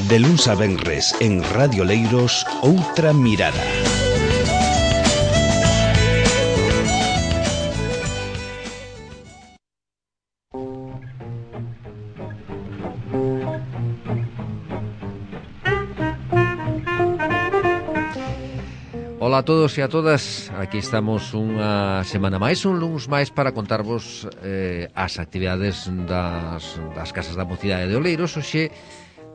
De luns a venres en Radio Oleiros, Outra Mirada. Ola a todos e a todas, aquí estamos unha semana máis, un luns máis para contarvos as actividades das Casas da Mocidade de Oleiros. Oxe,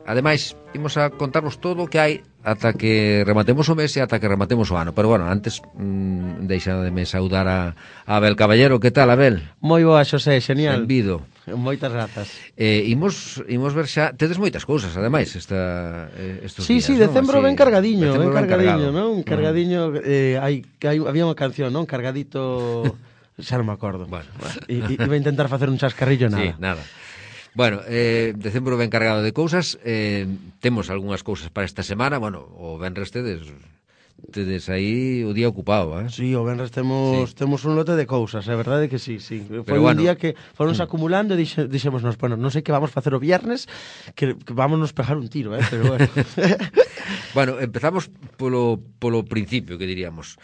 ademais, imos a contarvos todo o que hai ata que rematemos o mes e ata que rematemos o ano. Pero bueno, antes deixademe saudar a Abel Caballero. Que tal, Abel? Moi boa, Xosé, genial. Benvido. Moitas grazas. Imos ver xa, tedes moitas cousas, ademais, estos días. Sí, decembro ben cargadiño, non? Cargadiño. Había unha canción, non? Cargadito, xa non me acordo. Bueno. Iba a intentar facer un chascarrillo, nada. Sí, nada. Bueno, decembro ben cargado de cousas. Temos algunhas cousas para esta semana. Bueno, o venres tedes aí o día ocupado, Sí, o venres temos un lote de cousas, é verdade que sí. Foi un día que foronse acumulando e dixémonos, bueno, non sei que vamos facer o viernes, que vámonos pegar un tiro, pero bueno. Bueno, empezamos polo principio, que diríamos.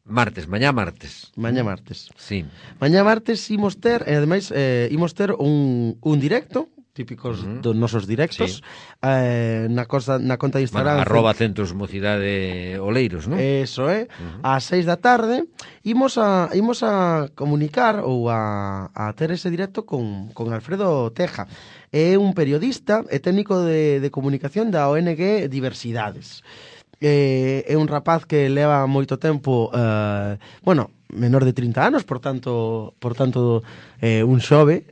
Mañá martes. Sí. Mañá martes imos ter, e ademais imos ter un directo típicos dos nosos directos, sí. na conta de Instagram, @ Centros Mocidade Oleiros, non? Eso é, ás 6 da tarde imos a comunicar ou a ter ese directo con Alfredo Teja. É un periodista e técnico de comunicación da ONG Diversidades. É un rapaz que leva moito tempo, menor de 30 anos, por tanto un xove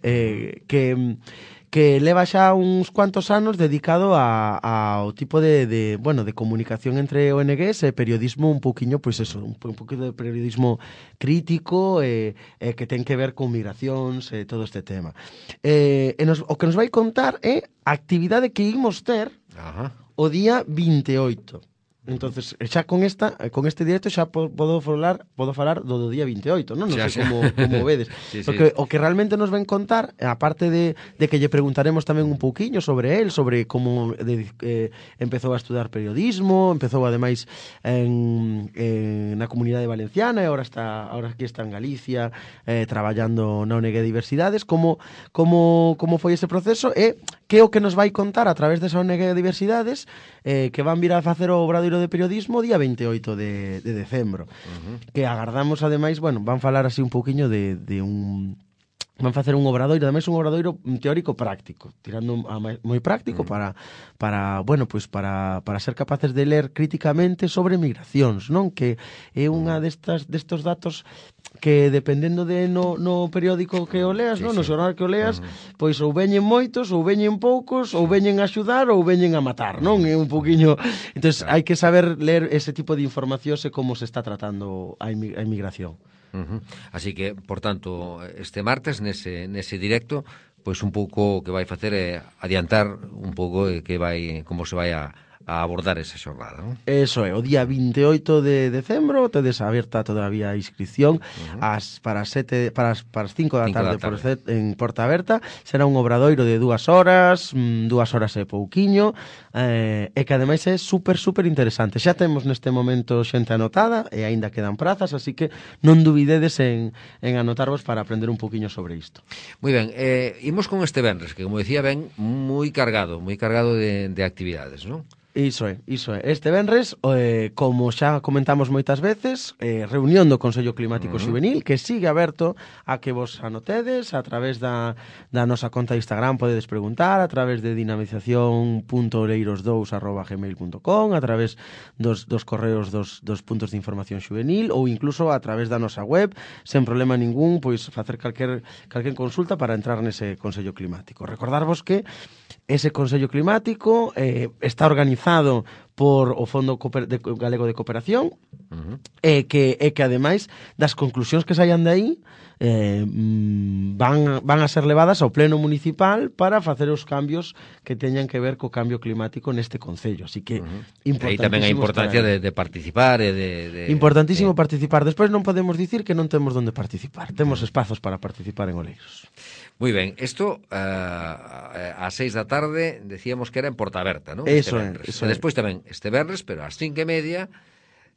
que leva xa uns cuantos anos dedicado ao tipo de comunicación entre ONGs e periodismo un pouquiño, pois eso, un pouquinho de periodismo crítico que ten que ver con migracións e todo este tema. O que nos vai contar é a actividade que imos ter o día 28. Entonces, xa con este directo xa podo falar do día 28, non? Non sei como vedes. Sí. O que realmente nos ven contar, aparte de que lle preguntaremos tamén un pouquiño sobre el, sobre como empezou a estudar periodismo, empezou ademais na Comunidade Valenciana e agora aquí está en Galicia traballando na ONG Diversidades, como foi ese proceso e que é o que nos vai contar a través desa ONG Diversidades que van vir a facer o obradoiro de periodismo o día 28 de decembro. Que agardamos, ademais, van falar así un pouquiño de un... Van facer un obradoiro, ademais un obradoiro teórico práctico, tirando a moi práctico para ser capaces de ler críticamente sobre migracións, non? Que é unha destos datos que dependendo de no periódico que o leas, non? No xornal que o leas, pois ou veñen moitos, ou veñen poucos, ou veñen a axudar, ou veñen a matar, non? É un poquinho... Entonces, hai que saber ler ese tipo de informacións e como se está tratando a inmigración. Así que, por tanto, este martes nese directo, pois un pouco o que vai facer é adiantar un pouco como se vai a abordar esa xornada, non? Eso é, o día 28 de decembro tedes aberta todavía a inscripción para as 5 da tarde en Porta Aberta. Será un obradoiro de 2 horas e pouquiño, e que ademais é super interesante. Xa temos neste momento xente anotada e aínda quedan prazas, así que non dubidedes en anotarvos para aprender un pouquiño sobre isto. Moi ben, imos con este venres, que como decía ben, moi cargado de actividades, non? Iso é. Este venres, como xa comentamos moitas veces, reunión do Consello Climático Xuvenil, que sigue aberto a que vos anotedes a través da nosa conta de Instagram, podedes preguntar, a través de dinamización.oleiros2@gmail.com, a través dos correos dos puntos de información xuvenil, ou incluso a través da nosa web, sen problema ningún, pois facer calquer consulta para entrar nese Consello Climático. Recordarvos que ese Consello Climático está organizado por o Fondo Galego de Cooperación e que ademais das conclusións que saian de aí van a ser levadas ao Pleno Municipal para facer os cambios que teñan que ver co cambio climático neste concello. Así que aí tamén a importancia de participar e importantísimo participar. Despois non podemos dicir que non temos onde participar. Temos espazos para participar en Oleiros. Moi ben, isto ás 6 da tarde decíamos que era en Portaberta, non? Eso Este venres. eso E despois tamén este venres, pero ás 5:30,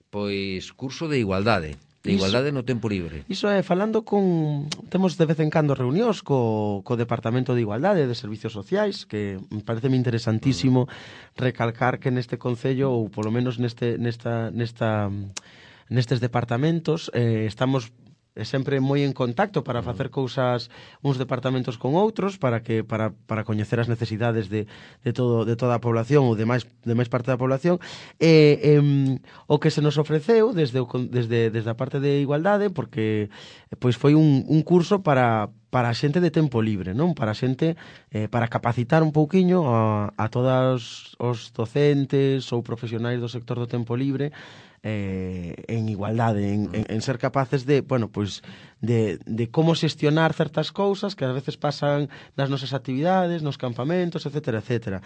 pois curso de igualdade. De igualdade no tempo libre. Iso é, falando con... Temos de vez en cando reunións co Departamento de Igualdade e de Servicios Sociais, que me parece interesantísimo recalcar que neste concello, ou polo menos nestes departamentos, estamos sempre moi en contacto para facer cousas uns departamentos con outros para coñecer as necesidades de toda a población ou de máis parte da población o que se nos ofreceu desde a parte de igualdade, porque pois foi un curso para a xente de tempo libre, non? Para a xente, para capacitar un pouquiño a todos os docentes ou profesionais do sector do tempo libre en igualdade, en ser capaces de, bueno, pois de como xestionar certas cousas que ás veces pasan nas nosas actividades, nos campamentos, etcétera, etcétera.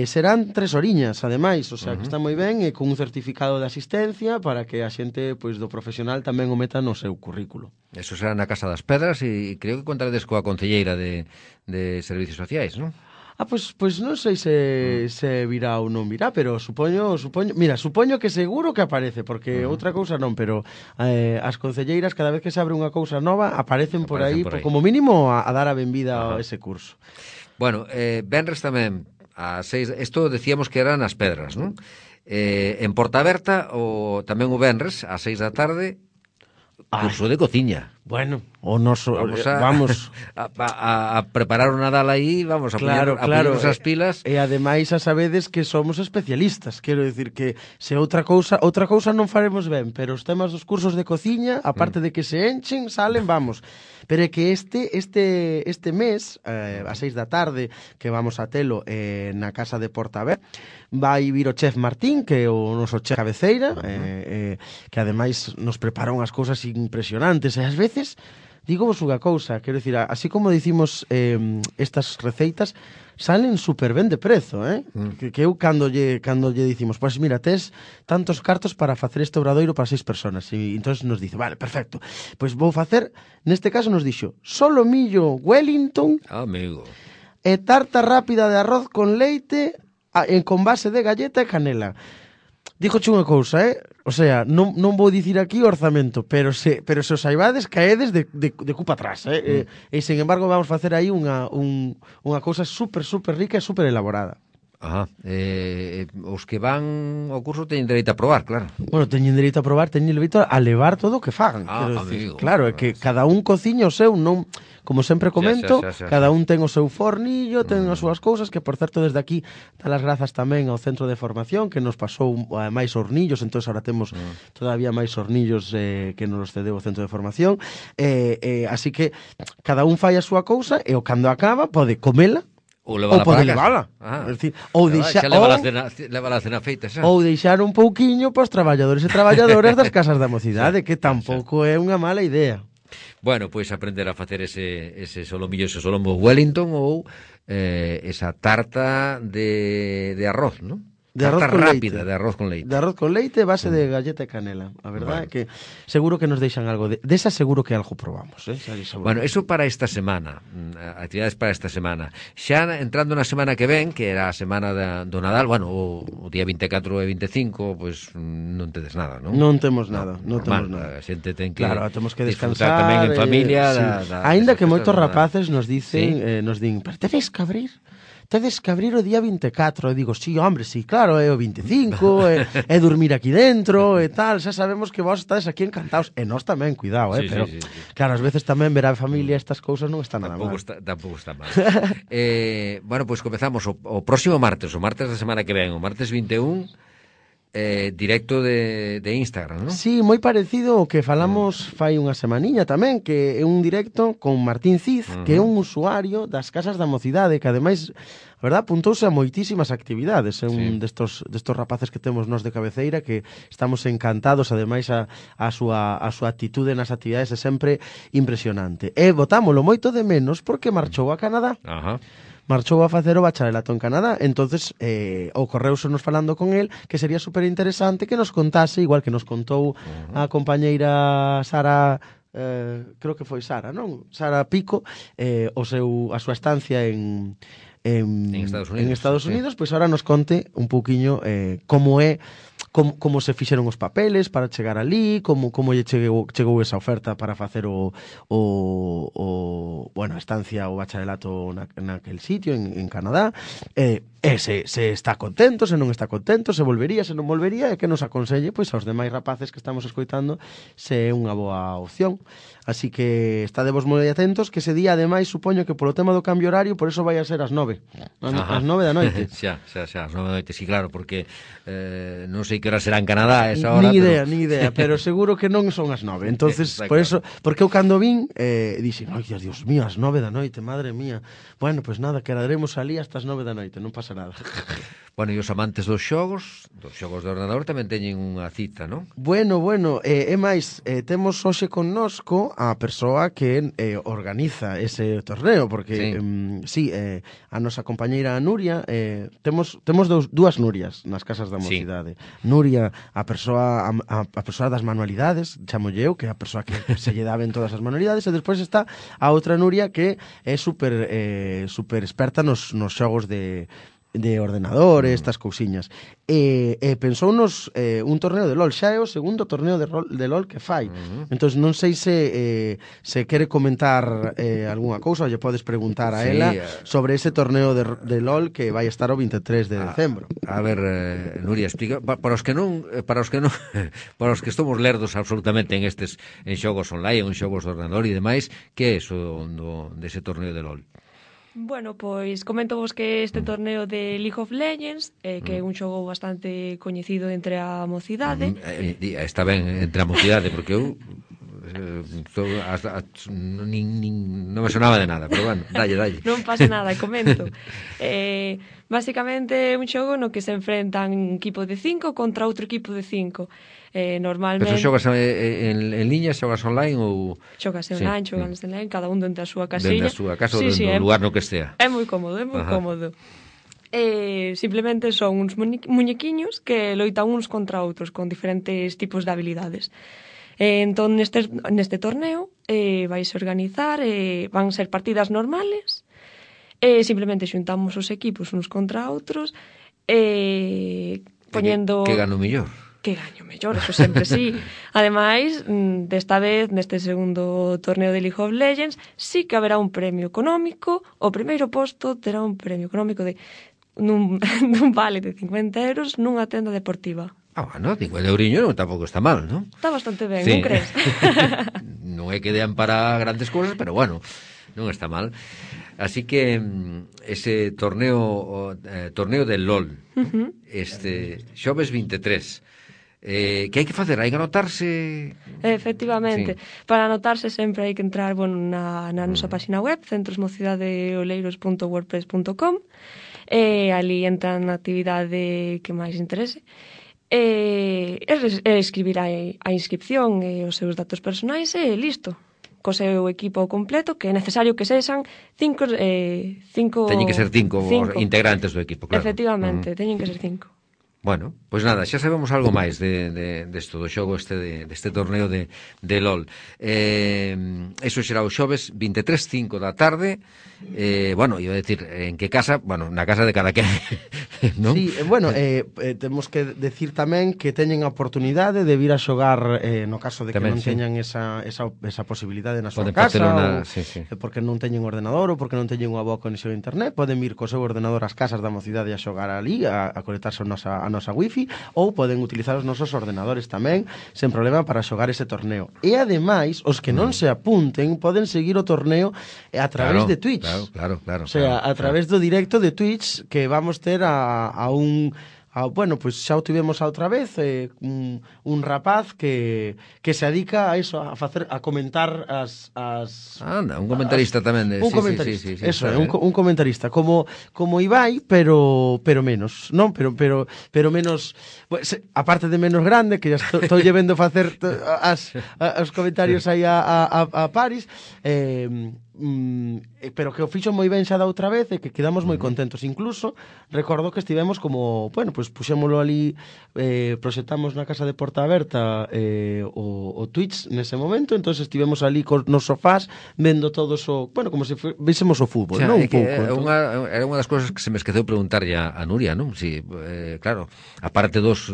Serán 3 horiñas, ademais, o sea, que está moi ben, e con un certificado de asistencia para que a xente pois do profesional tamén o meta no seu currículo. Eso será na Casa das Pedras e creo que contaredes coa concelleira de Servicios Sociais, non? Pois non sei se virá ou non virá, pero supoño que seguro que aparece, porque outra cousa non, pero as concelleiras cada vez que se abre unha cousa nova aparecen por aí, como mínimo a dar a benvida a ese curso. Bueno, venres tamén a 6, isto decíamos que eran as Pedras, non? En Portaberta tamén o venres a 6 da tarde curso de cociña. Bueno, o noso vamos a preparar o Nadal aí, vamos a poñernos as pilas. E ademais a sabedes que somos especialistas, quero dicir que se outra cousa non faremos ben, pero os temas dos cursos de cociña, aparte de que se enchen, salen, vamos. Pero é que este mes, a 6 da tarde, que vamos a telo na casa de Portaber, vai vir o chef Martín, que é o noso chef cabeceira, que ademais nos prepara unhas cousas impresionantes, e ás veces digo vos unha cousa, quero dicir, así como dicimos estas receitas salen super ben de prezo, que eu cando lle dicimos, pois mira, tes tantos cartos para facer este obradoiro para 6 personas, e entonces nos dice, vale, perfecto, pois vou facer, neste caso nos dixo, solomillo Wellington, amigo, e tarta rápida de arroz con leite con base de galleta e canela. Dígoche unha cousa, o sea, non vou dicir aquí o orzamento, pero se o saibades, caedes de cupa atrás, e sen embargo vamos facer aí unha cousa super rica e super elaborada. Ajá, os que van ao curso teñen dereito a probar, claro. Bueno, teñen dereito a probar, teñen dereito a levar todo o que fagan, quero dicir. Claro, é que cada un cociña o seu, non, como sempre comento, cada un ten o seu fornillo, ten as súas cousas, que por certo desde aquí dar as grazas tamén ao centro de formación que nos pasou máis hornillos, entón agora temos todavía máis hornillos que nos cedeu o centro de formación, así que cada un fai a súa cousa e o cando acaba pode comela ou levala. Ou deixar a cena feita xa. Ou deixar un pouquiño para os traballadores e traballadoras das casas da mocidade, que tampouco é unha mala idea. Bueno, pois aprender a facer ese solomillo, ese solombo Wellington ou esa tarta de arroz, non? De arroz con rápida, leite. De arroz con leite. De arroz con leite, base de galleta e canela. A verdade é que seguro que nos deixan algo desa seguro que algo probamos, Bueno, eso para esta semana, actividades para esta semana. Xa entrando na semana que ven, que era a semana do Nadal, bueno, o día 24 e 25, pois non tedes nada, non? Non temos nada, non temos nada. A xente ten que temos que descansar tamén en familia. Aínda que moitos rapaces nos dicen, nos din, pero tedes que abrir o día 24, e digo, sí, hombre, sí, claro, é o 25, é dormir aquí dentro, e tal, xa sabemos que vos estades aquí encantados, e nós tamén, cuidado, pero, claro, ás veces tamén ver a familia estas cousas non está nada mal. Tampouco está mal. Bueno, pois comezamos o próximo martes, da semana que ven, o martes 21, directo de Instagram, non? Sí, moi parecido ao que falamos fai unha semaniña tamén, que é un directo con Martín Cid, que é un usuario das casas da mocidade, que ademais, a verdad, apuntouse a moitísimas actividades, é un destos rapaces que temos nós de cabeceira, que estamos encantados, ademais a súa actitude nas actividades é sempre impresionante. E botámolo moito de menos porque marchou a Canadá. Ajá. Marchou a facer o bacharelato en Canadá, entonces ocorreusenos falando con el que sería super interesante que nos contase, igual que nos contou a compañeira Sara creo que foi Sara, non? Sara Pico, a súa estancia en Estados Unidos, pois ahora nos conte un pouquiño como se fixeron os papeles para chegar ali, como lle chegou esa oferta para facer a estancia, o bacharelato naquel sitio en Canadá, se está contento, se non está contento, se volvería, se non volvería, e que nos aconselle pois aos demais rapaces que estamos escoitando se é unha boa opción. Así que estadevos moi atentos, que ese día, ademais, supoño que polo tema do cambio horario, por eso vai a ser as 9. As 9 da noite. Xa, as 9 da noite, sí, claro, porque non sei que hora será en Canadá esa hora. Ni idea, pero seguro que non son as 9. Entonces, por eso, porque eu cando vin, dixen, ai, Dios mío, as 9 da noite, madre mía. Bueno, pues nada, quedaremos ali hasta as 9 da noite, non pasa nada. Bueno, e os amantes dos xogos de ordenador tamén teñen unha cita, non? Bueno, é máis, temos hoxe connosco a persoa que organiza ese torneo, porque a nosa compañeira Nuria, temos dúas Nurias nas casas da mocidade. Sí. Nuria, a persoa das manualidades, chamolle eu, que é a persoa que se lle daben todas as manualidades, e despois está a outra Nuria que é super experta nos xogos de ordenador, estas cousiñas. Pensounos un torneo de LOL, xa é o segundo torneo de LOL que fai. Entón non sei se quere comentar algunha cousa, ou lle podes preguntar a ela sobre ese torneo de LOL que vai estar o 23 de decembro. A ver, Nuria, explica para os que estamos lerdos absolutamente en xogos online, en xogos de ordenador e demais, que é iso dese torneo de LOL? Bueno, pois comento vos que este torneo de League of Legends, que é un xogo bastante coñecido entre a mocidade. Está ben entre a mocidade, porque eu non me sonaba de nada, pero bueno, dalle. Non pasa nada, comento. Básicamente é un xogo no que se enfrentan un equipo de 5 contra outro equipo de 5. Normalmente... Pero xogas en liña, xogas online ou... Xogas online, xogas online, cada un dentro da súa casilla. Dentro da súa casa ou no lugar no que estea. É moi cómodo, cómodo. Simplemente son uns muñequiños que loitan uns contra outros con diferentes tipos de habilidades. Entón, neste torneo vais a organizar, van ser partidas normales, simplemente xuntamos os equipos uns contra outros, poñendo... Que gano mellor? Que gaño mellor, eso sempre sí. Ademais, desta vez, neste segundo torneo de League of Legends, sí que haberá un premio económico. O primeiro posto terá un premio económico nun vale de 50 euros nunha tenda deportiva. Bueno, 50 euriños tampouco está mal, non? Está bastante ben, non crees? Non é que dean para grandes cousas, pero bueno, non está mal. Así que ese torneo de LOL, xoves 23, que hai que facer? Hai que anotarse? Efectivamente. Para anotarse sempre hai que entrar na nosa página web, centrosmocidaddeoleiros.wordpress.com, ali entran na actividade que máis interese, escribir a inscripción e os seus datos personais e listo. Co seu equipo completo, que é necesario que sexan 5... Teñen que ser 5 integrantes do equipo, claro. Efectivamente, teñen que ser 5. Bueno, pois nada, xa sabemos algo máis desto do xogo deste torneo de LOL. Eso será o xoves 23:05 da tarde. Bueno, iba a decir, en que casa? Bueno, na casa de cada quen, non? Sí, bueno, temos que decir tamén que teñen a oportunidade de vir a xogar no caso de que tamén, non teñan esa posibilidade na súa casa, porque non teñen ordenador ou porque non teñen unha boa conexión a internet, poden vir co seu ordenador ás casas da mocidade a xogar ali, a conectarse a nosa wifi, ou poden utilizar os nosos ordenadores tamén, sen problema, para xogar ese torneo. E ademais, os que non se apunten poden seguir o torneo a través de Twitch. Claro. O sea, a través do directo de Twitch que vamos ter bueno, pois xa o tivemos a outra vez, un rapaz que se dedica a eso, a comentar Anda, un comentarista tamén. Un comentarista, eso, un comentarista, como Ibai, pero menos, non? Pero menos, pues, aparte de menos grande, que ya estou llevendo facer os comentarios aí a Paris, pero que o fixo moi ben xa da outra vez e que quedamos moi contentos. Incluso recordo que estivemos como, bueno, pues puxémoslo ali, proxectamos na casa de Porta Aberta o Twitch nese momento, entonces estivemos ali nos sofás vendo todos o, bueno, como se vísemos o fútbol, non? Un pouco. Era unha das cousas que se me esqueceu preguntarlle a Nuria, non? Si, claro, aparte dos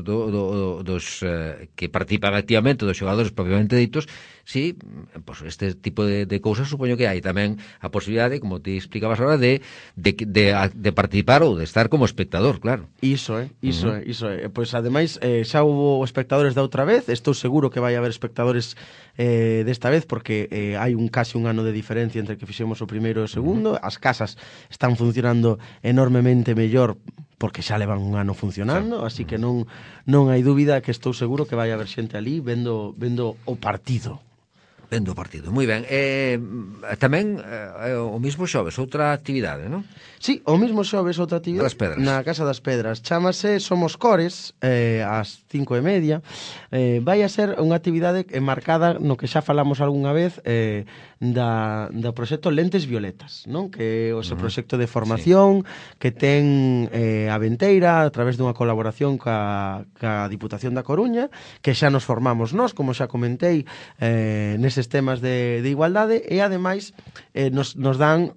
que participan activamente, dos xogadores propiamente ditos, si, pues este tipo de cousas supoño que hai tamén a posibilidade, como te explicabas ahora, de participar ou de estar como espectador, claro. Iso é. Pois ademais xa hubo espectadores da outra vez, estou seguro que vai haber espectadores desta vez porque hai casi un ano de diferencia entre que fixemos o primeiro e o segundo. As casas están funcionando enormemente mellor porque xa levan un ano funcionando, así que non hai dúbida que estou seguro que vai haber xente ali vendo o partido. Vendo o partido, moi ben. Tamén o mismo xoves, outra actividade, non? Sí, o mismo xoves, outra actividade na Casa das Pedras. Chámase Somos Cores, ás 5:30. Vai a ser unha actividade marcada no que xa falamos algunha vez do proxecto Lentes Violetas, non? Que é o proxecto de formación que ten a Venteira a través dunha colaboración ca Diputación da Coruña, que xa nos formamos nós, como xa comentei, neses temas de igualdade, e ademais nos dan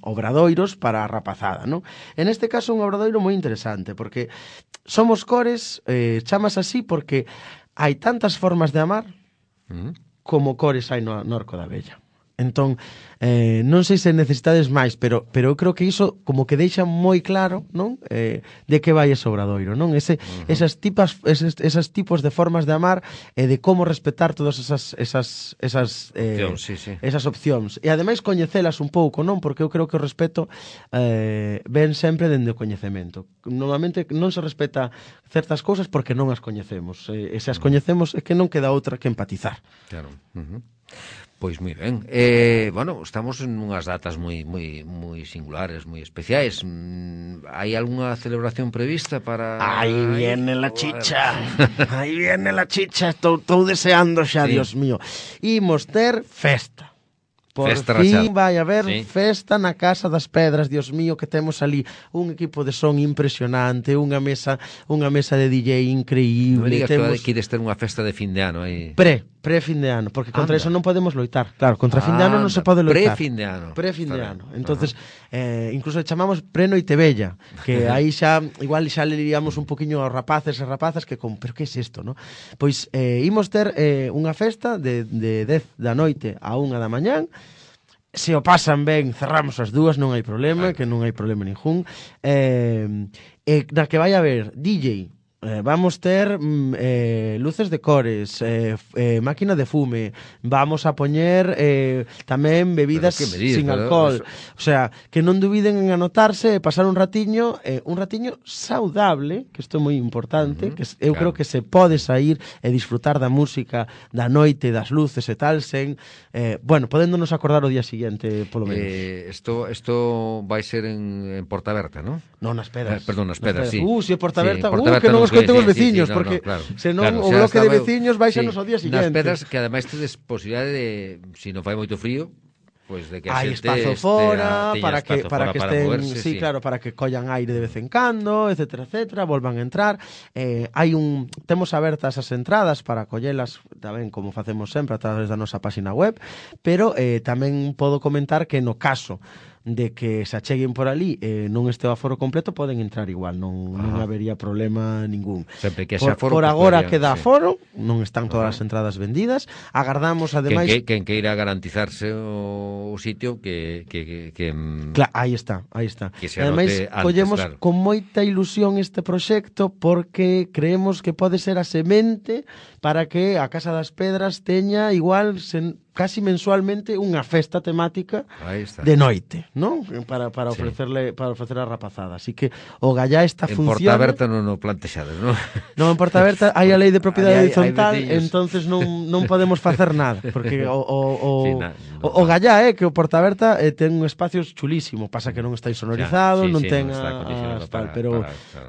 obradoiros para a rapazada, non? En este caso un obradoiro moi interesante, porque Somos Cores chamas así porque hai tantas formas de amar como cores hai no Arco da Vella. Entón, non sei se necesitades máis, pero eu creo que iso como que deixa moi claro, non? De que vai ese obradoiro, non? Esas tipos de formas de amar e de como respetar todas esas opcións. E ademais coñecelas un pouco, non? Porque eu creo que o respeto ven sempre dende o coñecemento. Normalmente non se respeta certas cousas porque non as coñecemos. E se as coñecemos é que non queda outra que empatizar. Claro. Pois moi ben. Bueno, estamos en unhas datas moi singulares, moi especiais. Hai algunha celebración prevista para... Aí viene la chicha. Aí viene la chicha. Estou deseando xa, Dios mío. Imos ter festa. Por fin vai haber festa na Casa das Pedras, Dios mío, que temos ali un equipo de son impresionante, unha mesa de DJ increíble. Non me digas que queres ter unha festa de fin de ano aí. Pre-fin de ano, porque contra eso non podemos loitar. Claro, contra fin de ano non se pode loitar. Pre-fin de ano. Entonces, incluso chamamos pre-noite bella, que aí xa, igual xa le liamos un poquinho aos rapaces e rapazas que pero que é isto, non? Pois imos ter unha festa de 10 da noite a 1 da mañán. Se o pasan ben, cerramos as dúas, non hai problema, que non hai problema ningún. Na que vai haber DJ, vamos ter luces de cores, máquina de fume, vamos a poñer tamén bebidas sin alcohol. O sea, que non dubiden en anotarse e pasar un ratiño saudable, que isto é moi importante, que eu creo que se pode sair e disfrutar da música, da noite, das luces e tal, sen, podéndonos acordar o día siguiente, polo menos. Isto vai ser en Porta Aberta, non? Non, nas Pedras. Perdón, nas Pedras, sí. Se é Porta Aberta, que non escoiten os veciños, porque senón o bloque de veciños vai xa nos ao día seguinte. Nas Pedras, que ademais tedes posibilidade de, se non fai moito frío, pois de que hai espazo fora para que estén, moverse, claro, para que collan aire de vez en cando, etcétera, volvan a entrar. Temos abertas as entradas para collelas tamén como facemos sempre a través da nosa página web, pero tamén podo comentar que no caso de que se acheguen por ali non este o aforo completo, poden entrar igual, non habería problema ningún. Sempre que ese aforo, por agora queda aforo, non están todas as entradas vendidas. Agardamos ademais quen queira garantizarse o sitio que aí está. Que se ademais collemos con moita ilusión este proxecto porque creemos que pode ser a semente para que a Casa das Pedras teña igual casi mensualmente unha festa temática de noite, non? Para ofrecer a rapazada. Así que o Gallá está funciona. En Porta Aberta non o plantexades, non? Non, en Porta Aberta hai a lei de propiedade horizontal, entonces non podemos facer nada, porque o Gallá que o Porta Aberta ten un espacio chulísimo, pasa que non está insonorizado, non ten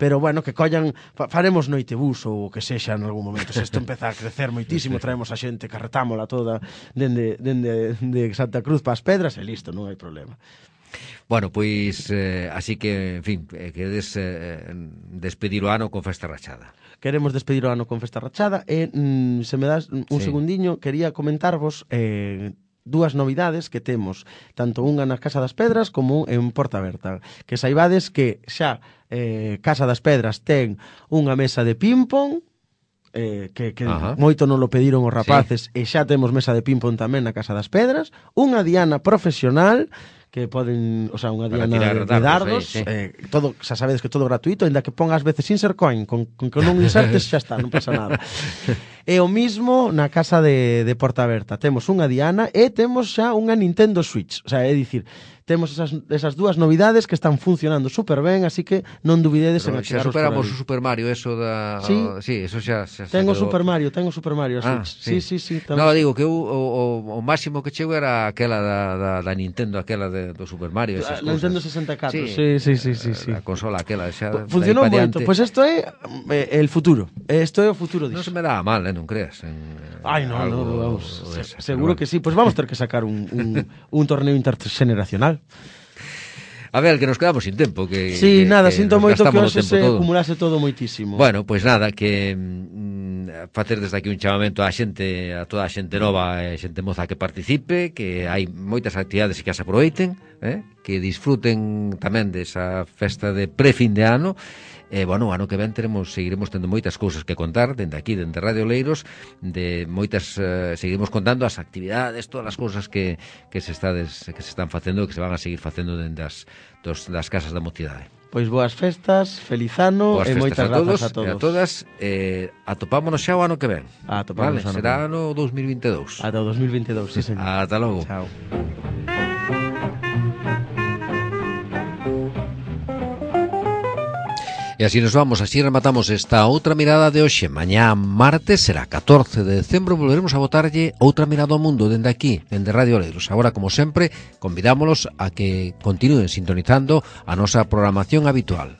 pero bueno, que collan, faremos noitebús ou o que sexa en algún momento. Se isto empeza a crecer moitísimo, traemos a xente, carretámola toda dende dende Santa Cruz para as Pedras e listo, non hai problema. Bueno, pois, así que, en fin, queredes despedir o ano con festa rachada. Queremos despedir o ano con festa rachada e, se me das un segundiño, quería comentarvos dúas novidades que temos, tanto unha na Casa das Pedras como en Porta Berta. Que saibades que xa Casa das Pedras ten unha mesa de ping-pong, que moito non lo pediron os rapaces, e xa temos mesa de ping-pong tamén na Casa das Pedras, unha diana profesional que poden, o sea, unha diana de dardos, todo, xa sabedes que todo gratuito, ainda que pongas veces insert coin, con que non insertes xa está, non pasa nada. E o mismo na Casa de Porta Berta, temos unha diana e temos xa unha Nintendo Switch, o sea, é dicir, temos esas dúas novidades que están funcionando super ben, así que non dubidedes en achegaros. Xa superamos o Super Mario, eso da... Sí, eso xa Tengo Super Mario Switch. Sí. No, digo que o máximo que chego era aquela da Nintendo, aquela do Super Mario, esas cousas. Nintendo 64. Sí. A consola aquela xa... Funcionou moito. Pois isto é el futuro. Isto é o futuro disso. Non se me dá mal, non creas. Ai, non, vamos. Seguro que sí. Pois vamos ter que sacar un torneo intergeneracional. A ver, que nos quedamos sin tempo nada, sinto moito que hoxe se acumulase todo moitísimo. Bueno, pois nada, que facer desde aquí un chamamento a toda a xente nova e xente moza que participe, que hai moitas actividades que as aproveiten, que disfruten tamén desa festa de pre-fin de ano. Bueno, o ano que ven seguiremos tendo moitas cousas que contar dende aquí, dende Radio Oleiros, de moitas seguiremos contando as actividades, todas as cousas que se están facendo e que se van a seguir facendo dende das casas da mocidade. Pois boas festas, feliz ano e moitas grazas a todos. E a todas, atopámonos xa o ano que ven. Atopámonos vale, será ano 2022. Ata o 2022, sí, señor. Ata logo. Chao. E así nos vamos, así rematamos esta outra mirada de hoxe. Mañá martes será 14 de decembro, volveremos a botarlle outra mirada ao mundo dende aquí, dende Radio Oleiros. Agora, como sempre, convidámolos a que continúen sintonizando a nosa programación habitual.